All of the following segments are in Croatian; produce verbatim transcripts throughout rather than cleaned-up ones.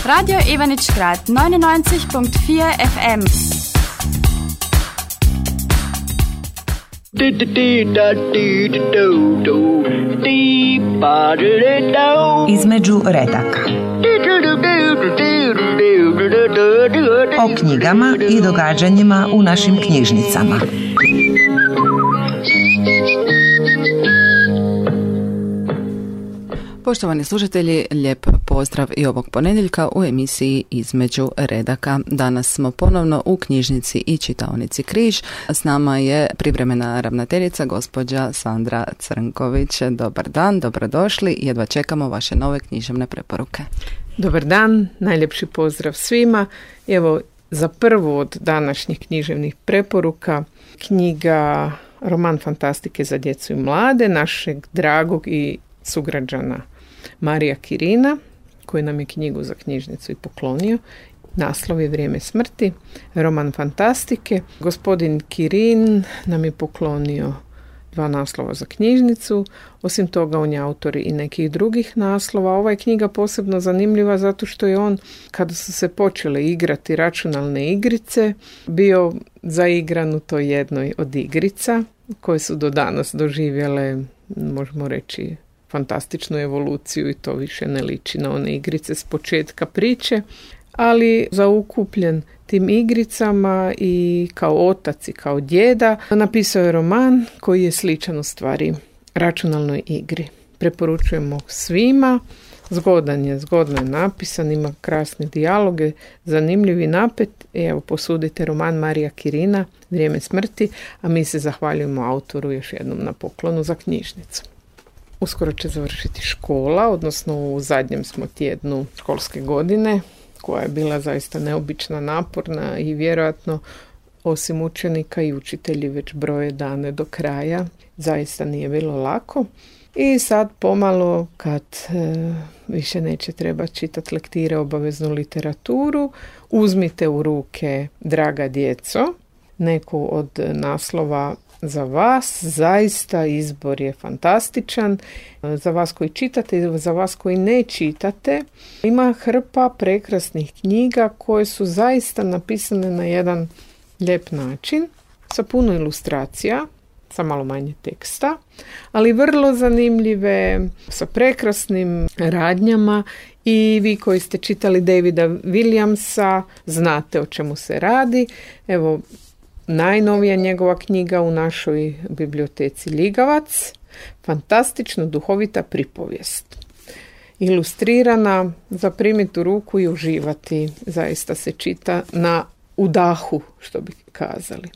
Radio Ivanić-Grad neunundneunzig Komma vier F M. Između redaka. O knjigama i događanjima u našim knjižnicama. Poštovani slušatelji, lijep pozdrav i ovog ponedjeljka u emisiji Između redaka. Danas smo ponovno u knjižnici i čitaonici Križ. S nama je privremena ravnateljica gospođa Sandra Crnković. Dobar dan, dobrodošli. Jedva čekamo vaše nove književne preporuke. Dobar dan, najljepši pozdrav svima. Evo, za prvu od današnjih književnih preporuka knjiga Roman fantastike za djecu i mlade našeg dragog i sugrađana Marija Kirina, koji nam je knjigu za knjižnicu i poklonio. Naslov je Vrijeme smrti, roman fantastike. Gospodin Kirin nam je poklonio dva naslova za knjižnicu. Osim toga, on je autor i nekih drugih naslova. Ova je knjiga posebno zanimljiva zato što je on, kada su se počele igrati računalne igrice, bio zaigran u toj jednoj od igrica koje su do danas doživjele, možemo reći, fantastičnu evoluciju i to više ne liči na one igrice s početka priče, ali zaukupljen tim igricama i kao otac i kao djeda napisao je roman koji je sličan u stvari računalnoj igri. Preporučujemo svima, zgodan je, zgodno je napisan, ima krasne dijaloge, zanimljivi napet. I evo, posudite roman Marija Kirina, Vrijeme smrti, a mi se zahvaljujemo autoru još jednom na poklonu za knjižnicu. Uskoro će završiti škola, odnosno u zadnjem smo tjednu školske godine, koja je bila zaista neobična, naporna i vjerojatno osim učenika i učitelji već broje dane do kraja. Zaista nije bilo lako. I sad pomalo, kad e, više neće treba čitati lektire, obaveznu literaturu, uzmite u ruke, draga djeco, neku od naslova za vas. Zaista izbor je fantastičan. Za vas koji čitate i za vas koji ne čitate, ima hrpa prekrasnih knjiga koje su zaista napisane na jedan lijep način, sa puno ilustracija, sa malo manje teksta, ali vrlo zanimljive, sa prekrasnim radnjama. I vi koji ste čitali Davida Williamsa znate o čemu se radi. Evo, najnovija njegova knjiga u našoj biblioteci Ligavac, fantastično duhovita pripovijest. Ilustrirana, zaprimiti u ruku i uživati. Zaista se čita na udahu, što bi kazali.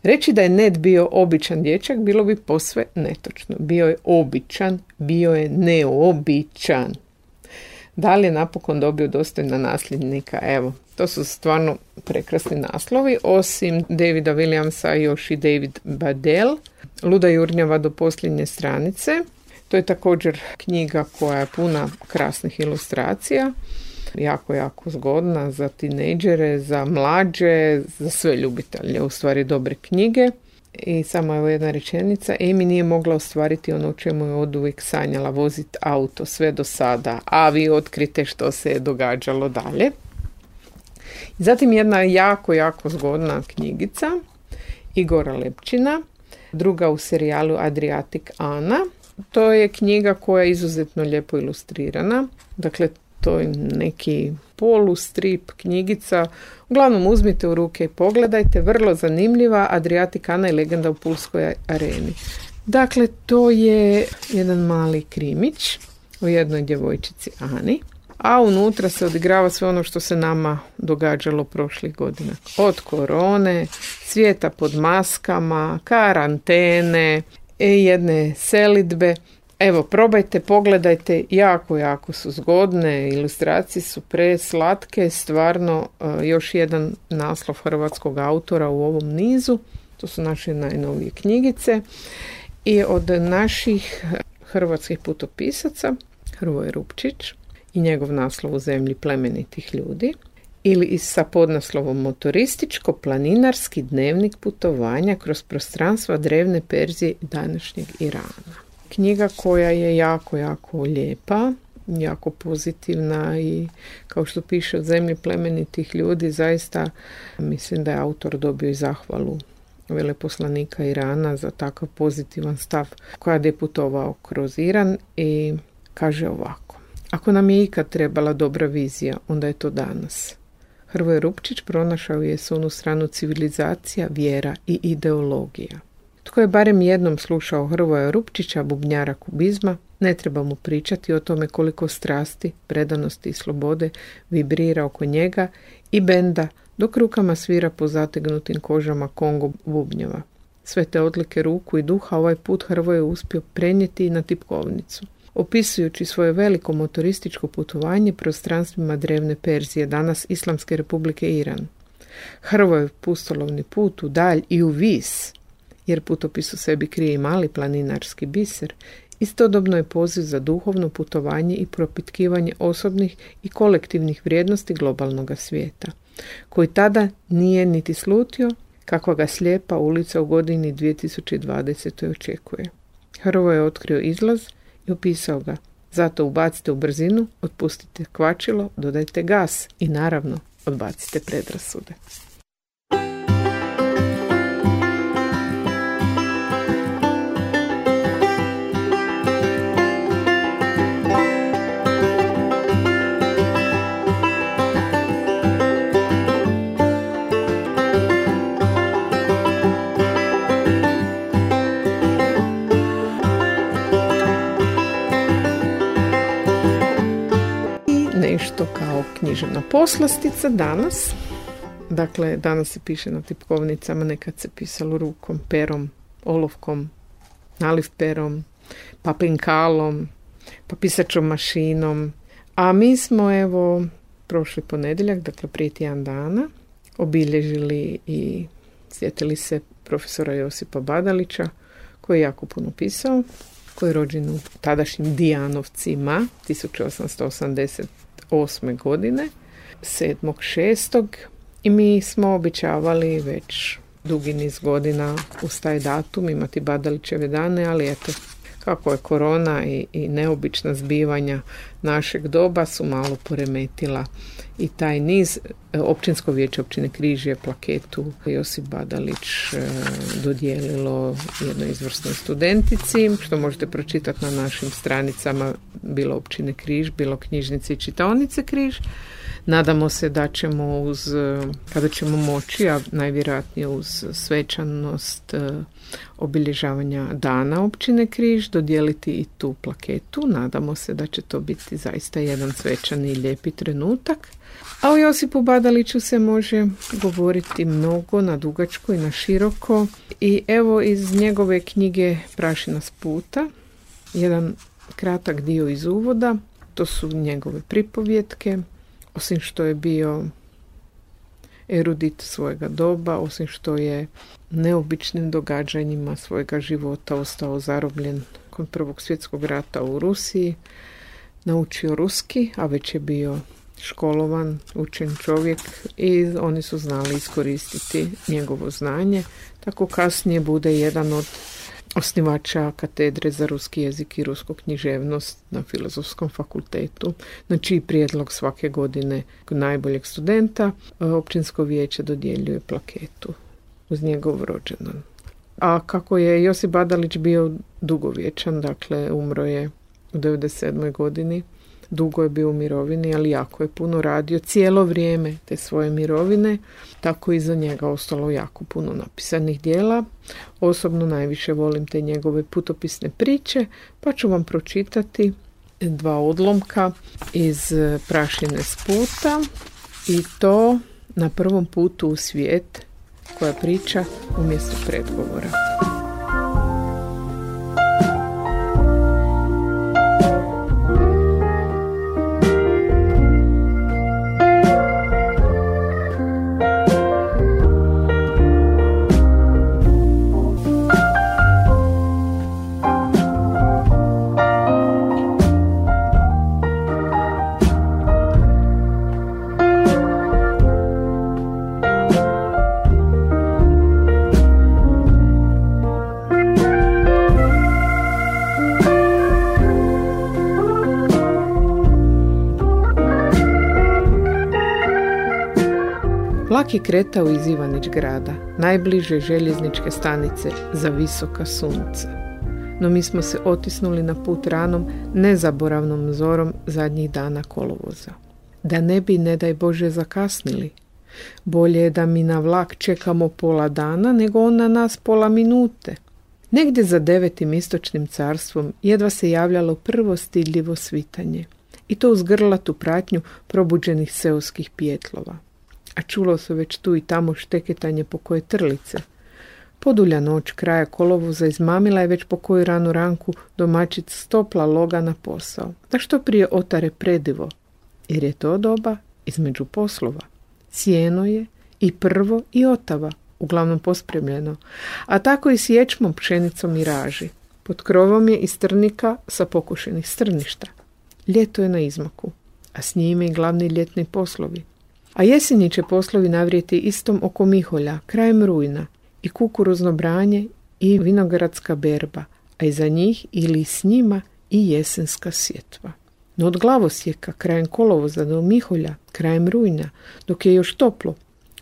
Reći da je Ned bio običan dječak bilo bi posve netočno. Bio je običan, bio je neobičan. Da li je napokon dobio dostojna nasljednika? Evo, to su stvarno prekrasni naslovi. Osim Davida Williamsa još i David Badel, Luda jurnjava do posljednje stranice. To je također knjiga koja je puna krasnih ilustracija. Jako, jako zgodna za tinejdžere, za mlađe, za sve ljubitelje, u stvari dobre knjige. I samo evo jedna rečenica. Amy nije mogla ostvariti ono o čemu je oduvijek sanjala, voziti auto sve do sada, a vi otkrite što se je događalo dalje. Zatim jedna jako, jako zgodna knjigica Igora Lepčina, druga u serijalu Adriatic Ana. To je knjiga koja je izuzetno lijepo ilustrirana. Dakle, to je neki polustrip knjigica. Uglavnom uzmite u ruke i pogledajte. Vrlo zanimljiva. Adriatic Ana i legenda u Pulskoj areni. Dakle, to je jedan mali krimić o jednoj djevojčici Ani. A unutra se odigrava sve ono što se nama događalo prošlih godina. Od korone, svijeta pod maskama, karantene, jedne selidbe. Evo, probajte, pogledajte, jako, jako su zgodne, ilustracije su preslatke, stvarno još jedan naslov hrvatskog autora u ovom nizu. To su naše najnovije knjigice. I od naših hrvatskih putopisaca, Hrvoje Rupčić i njegov naslov U zemlji plemenitih ljudi, ili sa podnaslovom Motorističko-planinarski dnevnik putovanja kroz prostranstva drevne Perzije i današnjeg Irana. Knjiga koja je jako, jako lijepa, jako pozitivna i kao što piše od zemlje plemenitih ljudi, zaista mislim da je autor dobio i zahvalu veleposlanika Irana za takav pozitivan stav koja je putovao kroz Iran i kaže ovako: ako nam je ikad trebala dobra vizija, onda je to danas. Hrvoje Rupčić pronašao je s onu stranu civilizacija, vjera i ideologija. Tko je barem jednom slušao Hrvoja Rupčića, bubnjara kubizma, ne treba mu pričati o tome koliko strasti, predanosti i slobode vibrira oko njega i benda, dok rukama svira po zategnutim kožama Kongo bubnjeva. Sve te odlike ruku i duha ovaj put Hrvoje je uspio prenijeti i na tipkovnicu. Opisujući svoje veliko motorističko putovanje prostranstvima drevne Perzije, danas Islamske republike Iran. Hrvojev pustolovni put u dalj i u vis, jer putopis u sebi krije i mali planinarski biser, istodobno je poziv za duhovno putovanje i propitkivanje osobnih i kolektivnih vrijednosti globalnog svijeta, koji tada nije niti slutio kakva ga slijepa ulica u godini dvije tisuće dvadesete očekuje. Hrvoje je otkrio izlaz i opisao ga. Zato ubacite u brzinu, otpustite kvačilo, dodajte gas i naravno odbacite predrasude. Nešto kao književna poslastica danas. Dakle, danas se piše na tipkovnicama, nekad se pisalo rukom, perom, olovkom, naliv perom, pa penkalom, pa pisačom mašinom. A mi smo, evo, prošli ponedjeljak, dakle prije tjedan dana, obilježili i sjetili se profesora Josipa Badalića, koji je jako puno pisao, koji je rođen u tadašnjim Dijanovcima tisuću osamsto osamdeset osme godine, sedmog šestog i mi smo običavali već dugi niz godina uz taj datum imati Badalićeve dane, ali eto, kako je korona i, i neobična zbivanja našeg doba su malo poremetila i taj niz. Općinsko vijeće općine Križije plaketu Josip Badalić e, dodijelilo jednoj izvrsnoj studentici, što možete pročitati na našim stranicama, bilo općine Križ, bilo knjižnice i čitaonice Križ. Nadamo se da ćemo uz, kada ćemo moći, a najvjerojatnije uz svečanost e, obilježavanja dana općine Križ, dodijeliti i tu plaketu. Nadamo se da će to biti zaista jedan svečan i lijepi trenutak. A o Josipu Badaliću se može govoriti mnogo, na dugačko i na široko. I evo iz njegove knjige Prašina s puta, jedan kratak dio iz uvoda, to su njegove pripovjetke. Osim što je bio erudit svojega doba, osim što je neobičnim događanjima svojega života ostao zarobljen kod Prvog svjetskog rata u Rusiji, naučio ruski, a već je bio školovan, učen čovjek i oni su znali iskoristiti njegovo znanje. Tako kasnije bude jedan od osnivača katedre za ruski jezik i rusku književnost na Filozofskom fakultetu, na čiji prijedlog svake godine najboljeg studenta općinsko vijeće dodjeljuje plaketu uz njegov rođendan. A kako je Josip Badalić bio dugovječan, dakle umro je u devedeset sedmoj godini, dugo je bio u mirovini, ali jako je puno radio cijelo vrijeme te svoje mirovine, tako i za njega ostalo jako puno napisanih dijela. Osobno najviše volim te njegove putopisne priče, pa ću vam pročitati dva odlomka iz Prašine s puta i to Na prvom putu u svijet, koja priča umjesto predgovora. Vlak je kretao iz Ivanić grada, najbliže željezničke stanice za visoka sunca. No mi smo se otisnuli na put ranom, nezaboravnom zorom zadnjih dana kolovoza. Da ne bi, ne daj Bože, zakasnili. Bolje je da mi na vlak čekamo pola dana, nego on na nas pola minute. Negdje za devetim istočnim carstvom jedva se javljalo prvo stidljivo svitanje. I to uz grlatu pratnju probuđenih seoskih pijetlova. A čulo se već tu i tamo šteketanje po koje trlice. Podulja noć kraja kolovoza izmamila je već po koju ranu ranku domaćica stopla loga na posao, da što prije otare predivo, jer je to doba između poslova. Sjeno je i prvo i otava, uglavnom pospremljeno, a tako i s ječmom, pšenicom i raži. Pod krovom je i strnika sa pokušenih strništa. Ljeto je na izmaku, a s njime i glavni ljetni poslovi. A jesenji će poslovi navrijeti istom oko Miholja, krajem rujna, i kukuruzno branje i vinogradska berba, a iza njih ili s njima i jesenska sjetva. No od glavosjeka krajem kolovoza do Miholja, krajem rujna, dok je još toplo,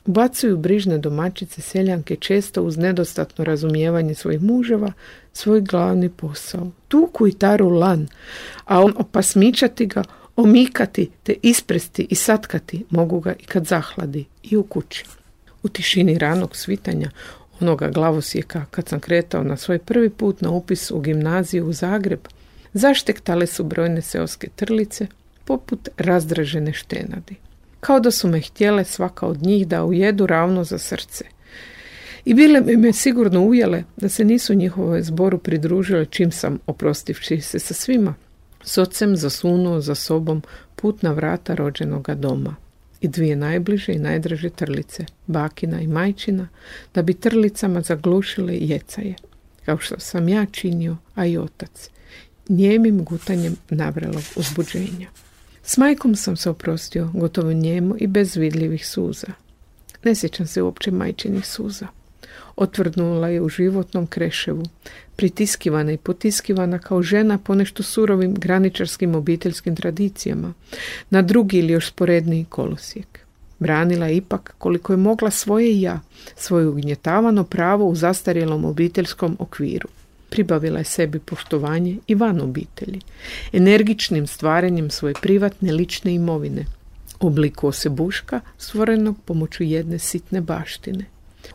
ubacuju brižne domaćice seljanke često uz nedostatno razumijevanje svojih muževa svoj glavni posao. Tuku i taru lan, a on opasmičati ga, omikati te ispresti i satkati mogu ga i kad zahladi i u kući. U tišini ranog svitanja onoga glavosjeka, kad sam kretao na svoj prvi put na upis u gimnaziju u Zagreb, zaštektale su brojne seoske trlice poput razdražene štenadi. Kao da su me htjele svaka od njih da ujedu ravno za srce. I bile bi me sigurno ujele da se nisu njihovoj zboru pridružile čim sam, oprostivši se sa svima, s ocem zasunuo za sobom put na vrata rođenoga doma. I dvije najbliže i najdraže trlice, bakina i majčina, da bi trlicama zaglušile jecaje, kao što sam ja činio, a i otac, njemim gutanjem navrelog uzbuđenja. S majkom sam se oprostio, gotovo njemo i bez vidljivih suza. Ne sjećam se uopće majčinih suza. Otvrdnula je u životnom kreševu, pritiskivana i potiskivana kao žena po nešto surovim graničarskim obiteljskim tradicijama, na drugi ili još sporedniji kolosijek. Branila je ipak koliko je mogla svoje ja, svoje ugnjetavano pravo u zastarjelom obiteljskom okviru. Pribavila je sebi poštovanje i van obitelji, energičnim stvaranjem svoje privatne lične imovine, obliku osebuška stvorenog pomoću jedne sitne baštine.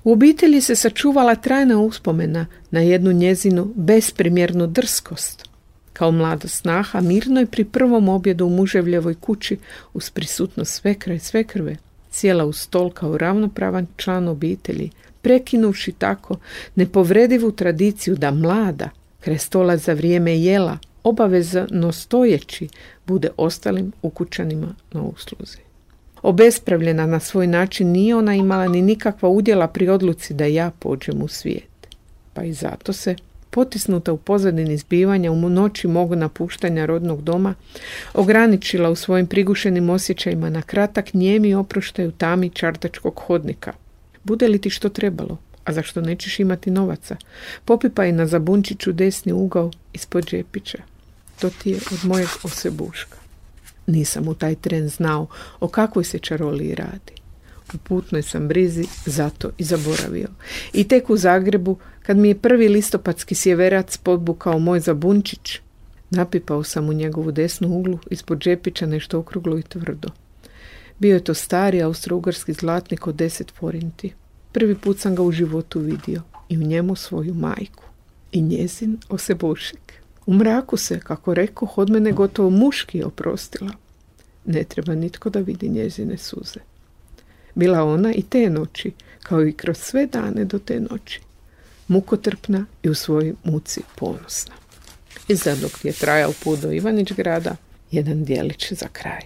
U obitelji se sačuvala trajna uspomena na jednu njezinu besprimjernu drskost. Kao mlada snaha mirno je pri prvom objedu u muževljevoj kući uz prisutnost svekra i svekrve sjela uz stol kao ravnopravan član obitelji, prekinuvši tako nepovredivu tradiciju da mlada kraj stola za vrijeme jela obavezno stojeći bude ostalim ukućanima na usluzi. Obespravljena na svoj način nije ona imala ni nikakva udjela pri odluci da ja pođem u svijet. Pa i zato se, potisnuta u pozadini zbivanja u noći mogu napuštanja rodnog doma, ograničila u svojim prigušenim osjećajima na kratak njemi oproštaj u tami čardačkog hodnika. Bude li ti što trebalo, a zašto nećeš imati novaca, popipaj na zabunčiću desni ugao ispod džepića. To ti je od mojeg osebuška. Nisam u taj tren znao o kakvoj se čaroliji radi. U putnoj sam brizi zato i zaboravio. I tek u Zagrebu, kad mi je prvi listopadski sjeverac podbukao moj zabunčić, napipao sam u njegovu desnu uglu ispod džepića nešto okruglo i tvrdo. Bio je to stari austro-ugarski zlatnik od deset forinti. Prvi put sam ga u životu vidio i u njemu svoju majku. I njezin osebušek. U mraku se, kako rekoh, od mene gotovo muški oprostila. Ne treba nitko da vidi njezine suze. Bila ona i te noći, kao i kroz sve dane do te noći, mukotrpna i u svojoj muci ponosna. I sad dok je trajao put do Ivanić grada, jedan dijelić za kraj.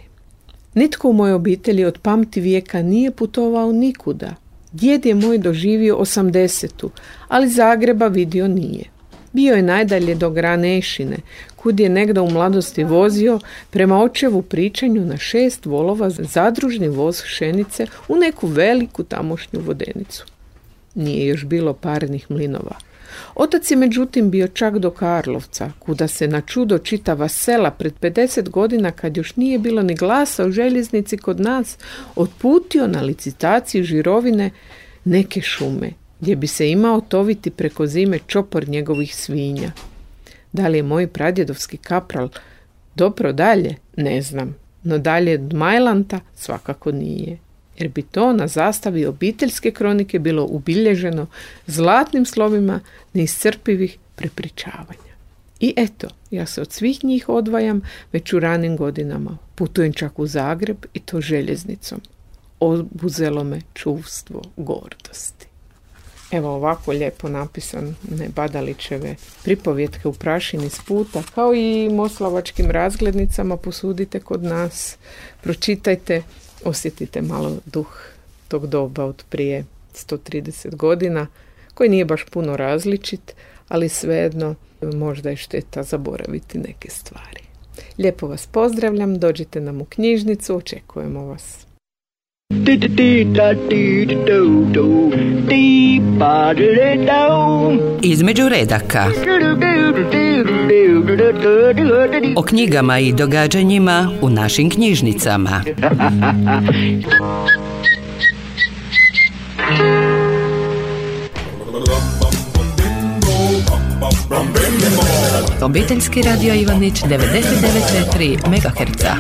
Nitko u mojoj obitelji od pamti vijeka nije putovao nikuda. Djed je moj doživio osamdesetu, ali Zagreba vidio nije. Bio je najdalje do Granešine, kud je negdje u mladosti vozio prema očevu pričanju na šest volova zadružni voz pšenice u neku veliku tamošnju vodenicu. Nije još bilo parnih mlinova, Otac je međutim bio čak do Karlovca, kuda se na čudo čitava sela pred pedeset godina, kad još nije bilo ni glasa o željeznici kod nas, otputio na licitaciju Žirovine neke šume, gdje bi se imao toviti preko zime čopor njegovih svinja. Da li je moj pradjedovski kapral dobro dalje? Ne znam, no dalje od Majlanta svakako nije, jer bi to na zastavi obiteljske kronike bilo ubilježeno zlatnim slovima neiscrpivih prepričavanja. I eto, ja se od svih njih odvajam već u ranim godinama. Putujem čak u Zagreb i to željeznicom. Obuzelo me čuvstvo gordosti. Evo ovako lijepo napisan ne Badalićeve pripovjetke u prašini s puta, kao i moslavačkim razglednicama posudite kod nas, pročitajte, osjetite malo duh tog doba od prije sto trideset godina, koji nije baš puno različit, ali svejedno možda je šteta zaboraviti neke stvari. Lijepo vas pozdravljam, dođite nam u knjižnicu, očekujemo vas. Između redaka. O knjigama i događanjima u našim knjižnicama. Obiteljski radio Ivanić devedeset devet zarez četiri megaherca.